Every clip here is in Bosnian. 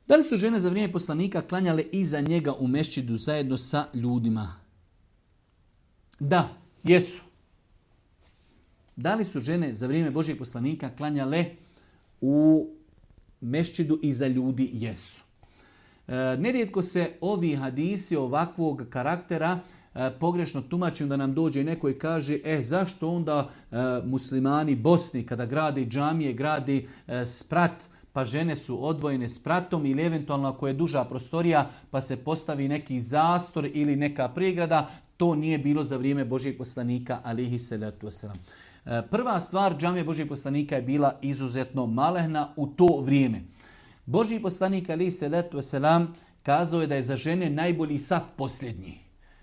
Da li su žene za vrijeme poslanika klanjale iza njega u mešćidu zajedno sa ljudima? Da, jesu. Da li su žene za vrijeme Božjeg poslanika klanjale u mešćidu iza ljudi? Jesu. Nerijetko se ovi hadisi ovakvog karaktera pogrešno tumačim da nam dođe neko i kaže zašto onda muslimani Bosni kada grade džamije, grade sprat, pa žene su odvojene spratom ili eventualno ako je duža prostorija pa se postavi neki zastor ili neka pregrada. To nije bilo za vrijeme Božjeg poslanika alejhi selatu vesselam. Prva stvar, džamija Božjeg poslanika je bila izuzetno malehna u to vrijeme. Božji poslanik alejhi selatu vesselam kazao je da je za žene najbolji saf posljednji.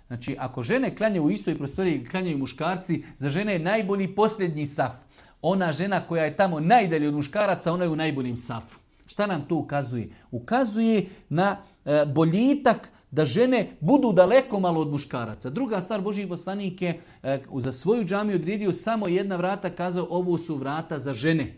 Znači, ako žene klanjaju u istoj prostoriji, klanjaju muškarci, za žene je najbolji posljednji saf. Ona žena koja je tamo najdalje od muškaraca, ona je u najboljem safu. Šta nam to ukazuje? Ukazuje na boljitak da žene budu daleko malo od muškaraca. Druga stvar, Božji poslanik je za svoju džamiju odredio samo jedna vrata, kazao ovo su vrata za žene.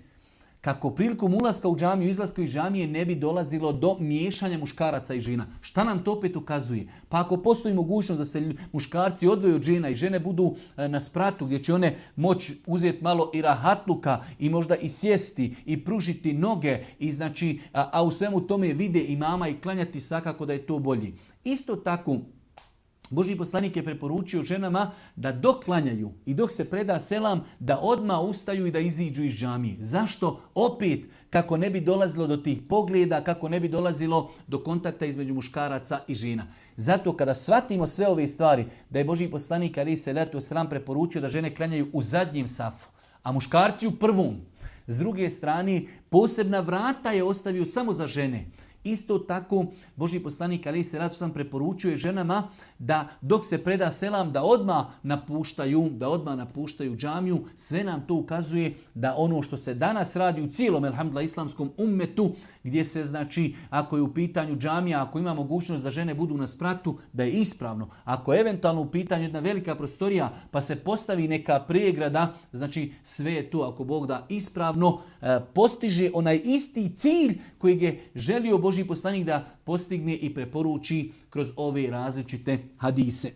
Kako prilikom ulaska u džamiju, izlaska iz džamije ne bi dolazilo do miješanja muškaraca i žena. Šta nam to opet ukazuje? Pa ako postoji mogućnost da se muškarci odvoje od žena i žene budu na spratu gdje će one moći uzeti malo i rahatluka i možda i sjesti i pružiti noge i znači, a u svemu tome vide imama i klanjati, svakako da je to bolji. Isto tako, Božji poslanik je preporučio ženama da dok klanjaju i dok se preda selam da odmah ustaju i da iziđu iz džamije. Zašto? Opet kako ne bi dolazilo do tih pogleda, kako ne bi dolazilo do kontakta između muškaraca i žena. Zato kada shvatimo sve ove stvari, da je Božji poslanik alejhi selatu vesselam preporučio da žene klanjaju u zadnjem safu, a muškarci u prvom. S druge strane, posebna vrata je ostavio samo za žene. Isto tako, Božji poslanik alejhi selatu vesselam preporučuje ženama da dok se preda selam da odmah napuštaju džamiju. Sve nam to ukazuje da ono što se danas radi u cijelom elhamdulillah islamskom ummetu, gdje se znači ako je u pitanju džamija, ako ima mogućnost da žene budu na spratu, da je ispravno. Ako je eventualno u pitanju jedna velika prostorija pa se postavi neka pregrada, znači sve je to ako Bog da ispravno postiže onaj isti cilj kojeg je želio Božji poslanik da postigne i preporuči kroz ove različite hadise.